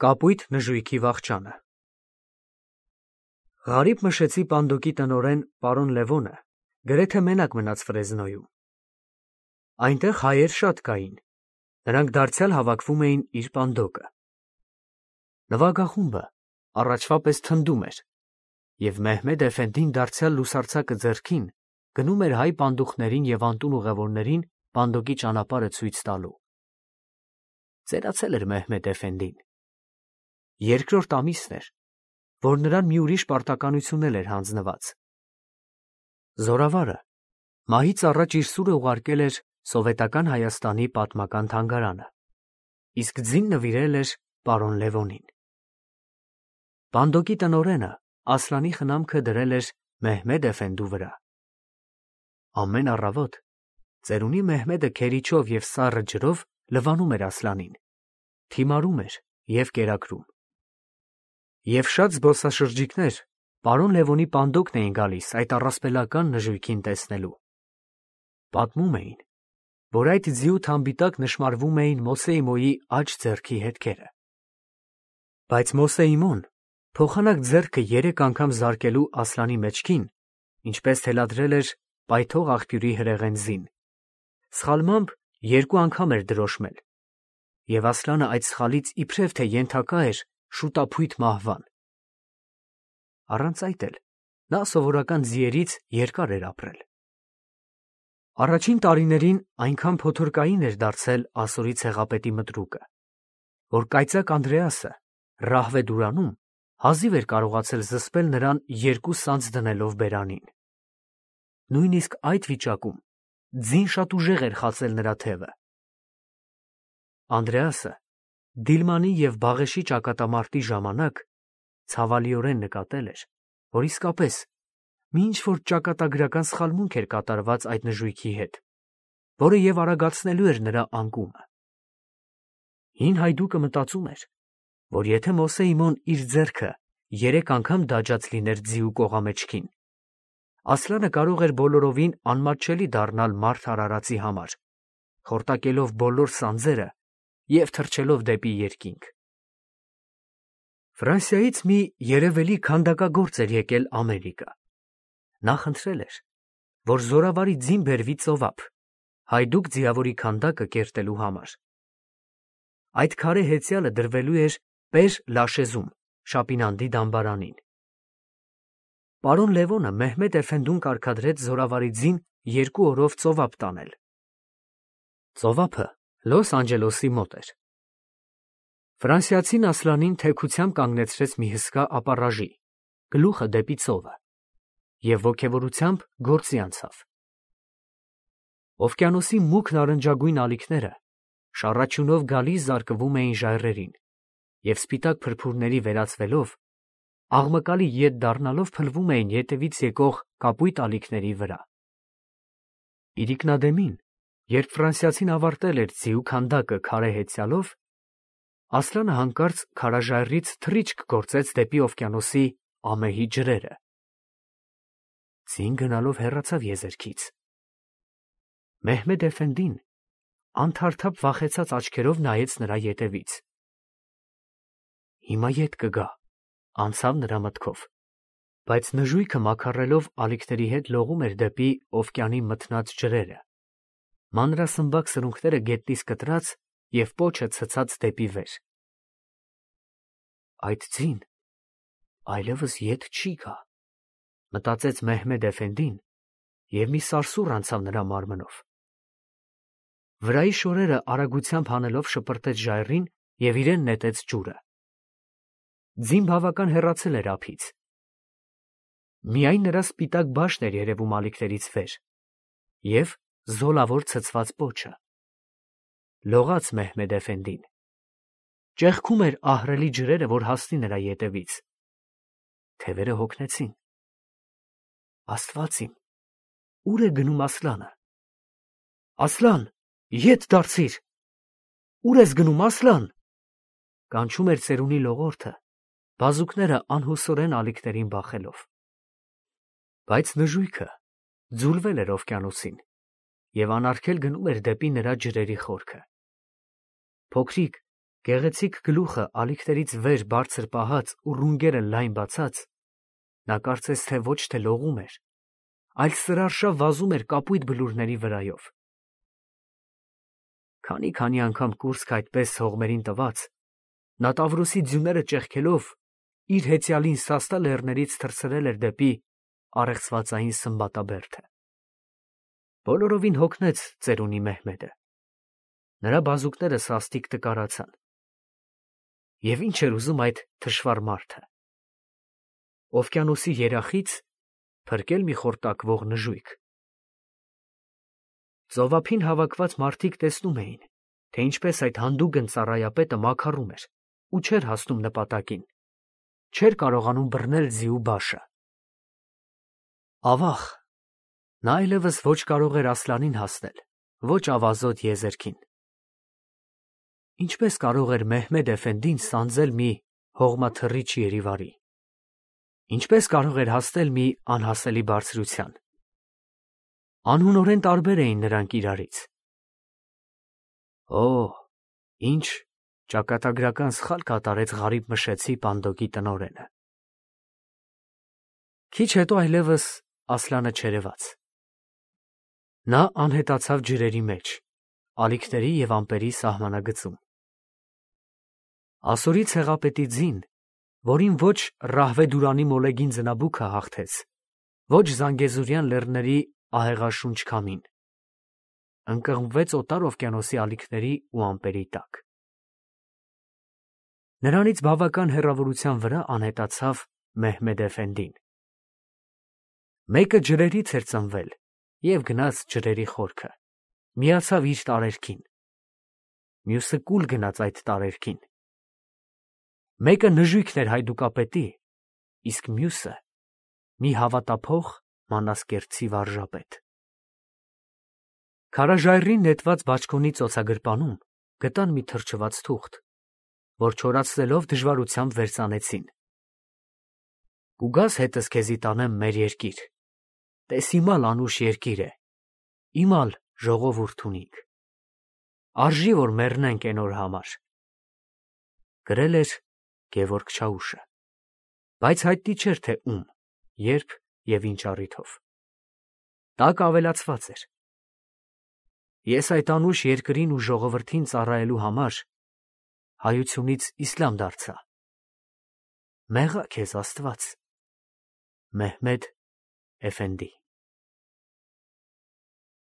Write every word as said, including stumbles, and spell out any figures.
Կապույտ նժույգի վախճանը Ղարիբ Մշեցի պանդոկի տնօրեն պարոն Լևոնը գրեթե մենակ մնաց Ֆրեզնոյում։ Այնտեղ հայեր շատ կային, նրանք դարձյալ հավաքվում էին իր պանդոկը։ Նվագախումբը առաջվա պես թնդում էր, և Մեհմեդ էֆենդին դարձյալ լուսարձակը ձեռքին գնում էր հայ պանդուխներին և անտուն ուղևորներին պանդոկի ճանապարհը ցույց տալու։ Ծերացել էր Մեհմեդ էֆենդին։ Երկրորդ ամիսն էր, որ նրան մի ուրիշ պարտականություն էլ էր հանձնված։ Զորավարը մահից առաջ իր սուրը ուղարկել էր Սովետական Հայաստանի պատմական թանգարանը, իսկ ձին նվիրել էր պարոն Լևոնին։ Պանդոկի տնօրենը Ասլանի խնամքը դրել էր Մեհմեդ էֆենդու վրա։ Ամեն առավոտ ծերունի Մեհմեդը քերիչով և սառը ջրով լվանում էր Ասլանին, թիմարում էր և կերակրում։ Եվ շատ զբոսաշրջիկներ պարոն Լևոնի պանդոկն էին գալիս այդ առասպելական նժույգին տեսնելու։ Պատմում էին, որ այդ ձիու թամբի տակ նշմարվում էին Մոսեիմոյի աջ ձեռքի հետքերը։ Բայց Մոսեիմոն փոխանակ ձեռքը երեք անգամ զարկելու Ասլանի մեջքին, ինչպես թելադրել էր պայթող աղբյուրի հրեղեն ձին, սխալմամբ երկու անգամ էր դրոշմել, և Ասլանը այդ սխալից իբրև թե ենթակա էր շուտափույթ մահվան։ Առանց այդ էլ նա սովորական ձիերից երկար էր ապրել։ Առաջին տարիներին այնքան փոթորկային էր դարձել ասորի ցեղապետի մտրուկը, որ կայծակ Անդրեասը Ռահվեդուրանում հազիվ էր կարողացել զսպել նրան երկու սանձ դնելով բերանին։ Նույնիսկ այդ վիճակում ձին շատ ուժեղ էր խացել նրա թևը։ Անդրեասը Դիլմանի և Բաղեշի ճակատամարտի ժամանակ ցավալիորեն նկատել էր, որ իսկապես մի ինչ-որ ճակատագրական սխալմունք էր կատարված այդ նժույգի հետ, որը և արագացնելու էր նրա անկումը։ Հին հայդուկը մտածում էր, որ եթե Մոսեիմոն իր ձեռքը երեք անգամ դաջած լիներ ձիու կողամեջքին, Ասլանը կարող էր բոլորովին անմատչելի դառնալ մարդ արարածի համար, խորտակելով բոլոր սանձերը և թռչելով դեպի երկինք։ Ֆրանսիայից մի երևելի քանդակագործ էր եկել Ամերիկա։ Նա խնդրել էր, որ զորավարի ձին բերվի ծովափ, հայդուկ ձիավորի քանդակը կերտելու համար։ Այդ քարե հեծյալը դրվելու էր Պեր Լաշեզում, Շապինանդի դամբարանին։ Պարոն Լևոնը Մեհմեդ էֆենդուն կարգադրեց զորավարի ձին երկու օրով ծովափ տանել։ Ծովափը Լոս Անջելեսի մոտ էր։ Ֆրանսիացին Ասլանին թեքությամբ կանգնեցրեց մի հսկա ապառաժի, գլուխը դեպի ծովը, և ոգևորությամբ գործի անցավ։ Օվկիանոսի մուգ նարնջագույն ալիքները շառաչյունով գալիս զարկվում էին ժայռերին և սպիտակ փրփուրների վերածվելով աղմկալի ետ դառնալով փլվում էին ետևից եկող կապույտ ալիքների վրա։ Իրիկնադեմին, երբ ֆրանսիացին ավարտել էր ձիու քանդակը քարե հեծյալով, Ասլանը հանկարծ քարաժայռից թռիչք գործեց դեպի օվկիանոսի ամեհի ջրերը։ Ձին գնալով հեռացավ եզերքից։ Մեհմեդ էֆենդին անթարթափ վախեցած աչքերով նայեց նրա ետևից։ Հիմա ետ կգա, անցավ նրա մտքով, բայց նժույգը մաքառելով ալիքների հետ լողում էր դեպի օվկիանի մթնած ջրերը, մանրասմբակ սրունքները գետնից կտրած և պոչը ցցած դեպի վեր։ Այդ ձին այլևս ետ չի գա, մտածեց Մեհմեդ էֆենդին, և մի սարսուռ անցավ նրա մարմնով։ Վրայի շորերը արագությամբ հանելով շպրտեց ժայռին և իրեն նետեց ջուրը։ Ձին բավական հեռացել էր ափից։ Միայն նրա սպիտակ բաշն էր երևում ալիքներից վեր և զոլավոր ցցված պոչը։ Լողաց Մեհմեդ էֆենդին։ Ճեղքում էր ահռելի ջրերը, որ հասնի նրա ետևից։ Թևերը հոգնեցին։ Աստված իմ, ո՞ւր է գնում Ասլանը։ Ասլան, ետ դարձիր։ Ո՞ւր ես գնում, Ասլան։ Կանչում էր ծերունի լողորդը, բազուկները անհուսորեն ալիքներին բախելով։ Բայց նժույգը ձուլվել էր օվկիանոսին և անարգել գնում էր դեպի նրա ջրերի խորքը։ Փոքրիկ, Գեղեցիկ գլուխը ալիքներից վեր բարձր պահած ու ռունգերը լայն բացած, նա կարծես թե ոչ թե լողում էր, այլ սրարշավ վազում էր կապույտ բլուրների վրայով։ Քանի-քանի անգամ կուրծքը այդպես հողմերին տված, նա Տավրոսի ձյունները ճեղքելով իր հեծյալին սաստա լեռներից թռցրել էր դեպի առեղծվածային Սմբատաբերդը։ Բոլորովին հոգնեց ծերունի Մեհմեդը։ Նրա բազուկները սաստիկ տկարացան։ Եվ ինչ էր ուզում այդ թշվառ մարդը։ Օվկիանոսի երախից փրկել մի խորտակվող նժույգ։ Ծովափին հավաքված մարդիկ տեսնում էին, թե ինչպես այդ հանդուգն ծառայապետը մաքարում էր ու չէր հասնում նպատակին, չէր կարողանում բռնել ձիու բաշը։ Ավաղ, նա այլևս ոչ կարող էր Ասլանին հասնել, ոչ ավազոտ եզերքին։ Ինչպես կարող էր Մեհմեդ էֆենդին սանձել մի հողմաթռիչ երիվարի։ Ինչպես կարող էր հասնել մի անհասելի բարձրության։ Անհունորեն տարբեր էին նրանք իրարից։ Օ, ինչ ճակատագրական սխալ կատարեց Ղարիբ Մշեցի Պանդոկի տնօրենը։ Քիչ հետո այլևս Ասլանը չերևաց։ Նա անհետացավ ջրերի մեջ, ալիքների և ամպերի սահմանագծում։ Ասորի ցեղապետի ձին, որին ոչ Ռահվեդուրանի մոլեգին ձնաբուքը հաղթեց, ոչ Զանգեզուրյան լեռների ահեղաշունչ քամին, ընկղմվեց օտար օվկիանոսի ալիքների ու ամպերի տակ։ Նրանից բավական հեռավորության վրա անհետացավ Մեհմեդ էֆենդին։ Մեկը ջրերից էր ծնվել և գնաց ջրերի խորքը, միացավ իր տարերքին, մյուսը կուլ գնաց այդ տարերքին։ Մեկը նժույգն էր հայդուկապետի, իսկ մյուսը մի հավատափող մանասկերտցի վարժապետ։ Քարաժայռին նետված բաճկոնի ծոցագրպանում գտան մի թրջված թուղթ, որ չորացնելով դժվարությամբ վերծանեցին։ Կուգաս հետս քեզի տանեմ մեր երկիր, տես իմալ անուշ երկիր է, իմալ ժողովուրդ ունինք, արժի որ մեռնենք էն օր համար։ Գրել էր Գևորգ Չաուշը, բայց հայտնի չէր թե ում, երբ և ինչ առիթով։ Տակ ավելացված էր. Ես այդ անուշ երկրին ու ժողովրդին ծառայելու համար հայությունից իսլամ դարձա։ Մեղա քեզ Աստված, Մեհմեդ էֆենդի։